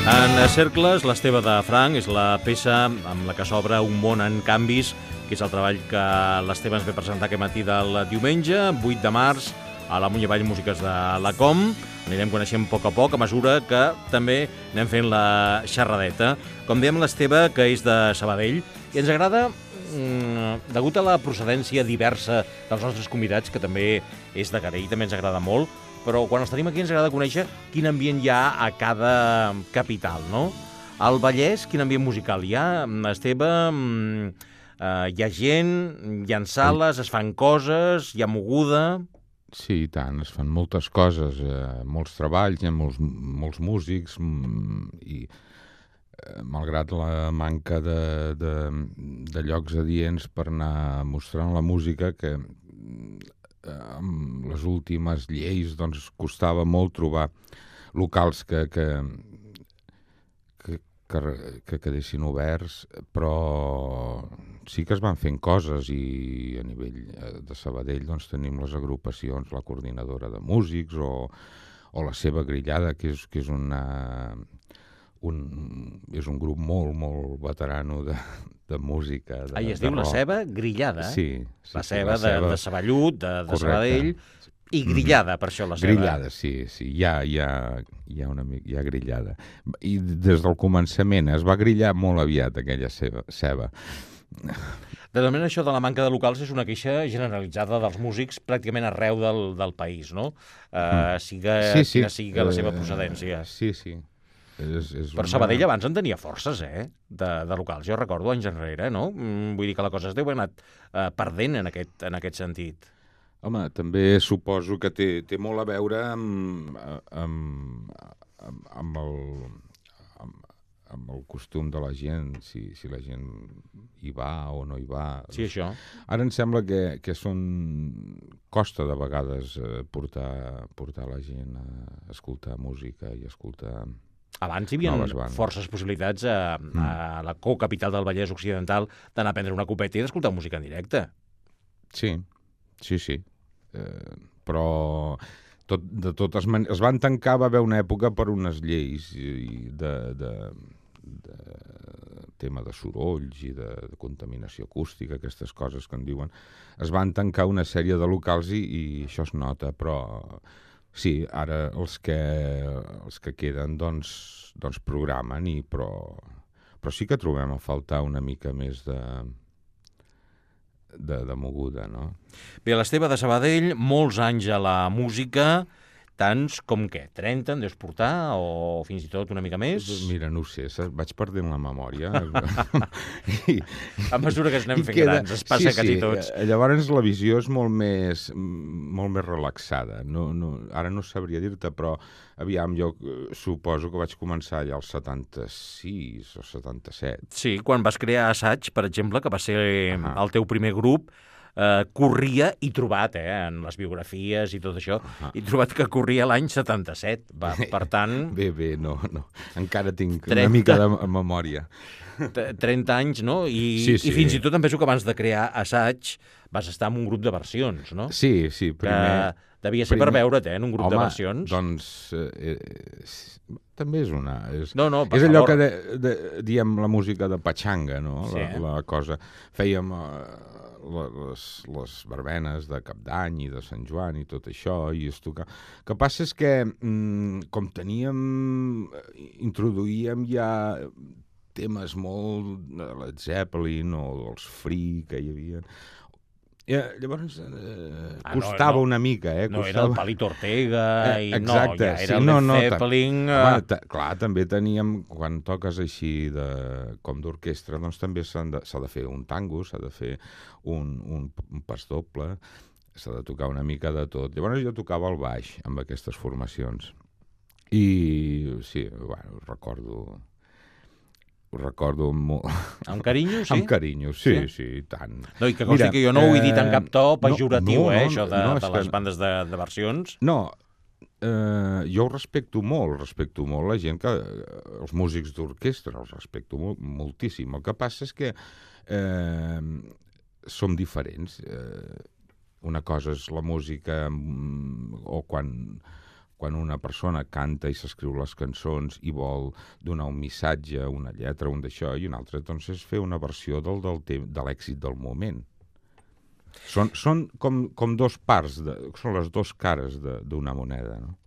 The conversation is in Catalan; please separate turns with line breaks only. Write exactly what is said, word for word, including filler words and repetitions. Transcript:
En Cercles, l'Esteve de Franc és la peça amb la que s'obre Un món en canvis, que és el treball que l'Esteve ens ve presentar aquest matí del diumenge, vuit de març, a la Munyavall Músiques de la Com. Anirem coneixent a poc a poc, a mesura que també anem fent la xerradeta. Com dèiem, l'Esteve, que és de Sabadell, i ens agrada, mmm, degut a la procedència diversa dels nostres convidats, que també és de Carell, també ens agrada molt, però quan els tenim aquí ens agrada conèixer quin ambient hi ha a cada capital, no? Al Vallès, quin ambient musical hi ha? Esteve, eh, hi ha gent, hi ha sales, es fan coses, hi ha moguda...
Sí, i tant, es fan moltes coses, eh, molts treballs, hi ha molts, molts músics, i eh, malgrat la manca de, de, de llocs adients per anar mostrant la música, que amb les últimes lleis doncs, costava molt trobar locals que, que, que, que, que quedessin oberts, però sí que es van fent coses, i a nivell de Sabadell doncs, tenim les agrupacions, la coordinadora de músics o, o la seva grillada, que és, que és una... Un, és un grup molt, molt veterano de, de música. De,
ah, i es
de
diu
rock.
La Ceba Grillada, eh?
Sí. sí
la
sí,
Ceba,
la ceba
de, de Saballut, de, de Sabadell, i grillada, mm. per això la Ceba.
Grillada, sí, sí, hi ha, hi ha, hi ha, una, hi ha grillada. I des del començament es va grillar molt aviat aquella ceba. ceba.
De moment, això de la manca de locals és una queixa generalitzada dels músics pràcticament arreu del, del país, no? Uh, siga,
sí, sí.
Quina sigui la seva procedència.
Uh, sí, sí. És, és
Però una... Sabadell abans en tenia forces, eh? De, de locals. Jo recordo anys enrere, no? Mm, vull dir que la cosa es deu haver anat uh, perdent en aquest, en aquest sentit.
Home, també suposo que té, té molt a veure amb, amb, amb, amb, el, amb, amb el costum de la gent, si, si la gent hi va o no hi va.
Sí, això.
Ara em sembla que, que són... costa de vegades eh, portar, portar la gent a escoltar música i escoltar...
Abans hi havia forces possibilitats a, a la co-capital del Vallès Occidental d'anar a prendre una copeta i d'escoltar música en directe.
Sí, sí, sí. Eh, però tot, de totes maneres... Es van tancar, va haver una època per unes lleis i de, de, de tema de sorolls i de, de contaminació acústica, aquestes coses que en diuen. Es van tancar una sèrie de locals i, i això es nota, però... Sí, ara els que, els que queden doncs, doncs programen, i, però, però sí que trobem a faltar una mica més de, de, de moguda, no?
Bé, l'Esteve de Sabadell, molts anys a la música, tants com què? trenta en deus portar, o fins i tot una mica més?
Mira, no ho sé, vaig perdent la memòria.
I, a mesura que es anem fent queda... grans, es passa sí, quasi
sí.
tots.
Llavors la visió és molt més, molt més relaxada. No, no, ara no sabria dir-te, però aviam, jo suposo que vaig començar allà als setanta-sis o setanta-set.
Sí, quan vas crear Assaig, per exemple, que va ser uh-huh. el teu primer grup, Uh, corria, i trobat, eh, en les biografies i tot això, uh-huh. i trobat que corria l'any setanta-set. Va, per tant...
Bé, bé, no, no. Encara tinc
trenta
una mica de memòria.
trenta anys, no? I,
sí, sí.
I fins i tot em penso que abans de crear Assaig vas estar en un grup de versions, no?
Sí, sí, primer...
Que devia ser
primer...
per veure't, eh, en un grup
Home,
de versions.
doncs... Eh, eh, també és una... És,
no, no,
és allò
favor.
que de, de, diem la música de Pachanga, no?
Sí.
La, la cosa... Fèiem... Eh, Les, les verbenes de Cap d'Any i de Sant Joan i tot això, i es toca... El que passa és que, com teníem, introduïem ja temes molt de Led Zeppelin o dels Free que hi havia... Ja, llavors eh, ah, costava no, no. una mica, eh?
No,
costava...
era el Palito Ortega i
eh,
no, ja era
sí,
el
no,
Led
no,
Zeppelin...
Home, ta, clar, també teníem, quan toques així de, com d'orquestra, doncs també s'ha de, de fer un tango, s'ha de fer un, un, un pas doble, s'ha de tocar una mica de tot. Llavors jo tocava el baix amb aquestes formacions. I sí, bueno, recordo... Ho recordo molt...
Amb carinyo, sí?
Amb carinyo, sí, sí, sí, tant.
No, i que consti Mira, que jo no ho he dit en cap to pejoratiu,
no, no,
eh, això de,
no,
de les bandes de, de versions.
No, eh, jo ho respecto molt, respecto molt la gent que... Els músics d'orquestra els respecto molt, moltíssim. El que passa és que eh, som diferents. Eh, una cosa és la música o quan... quan una persona canta i s'escriu les cançons i vol donar un missatge, una lletra, un d'això, i una altra doncs, és fer una versió del, del, de l'èxit del moment. Són, són com, com dos parts, de, són les dues cares d'una moneda, no?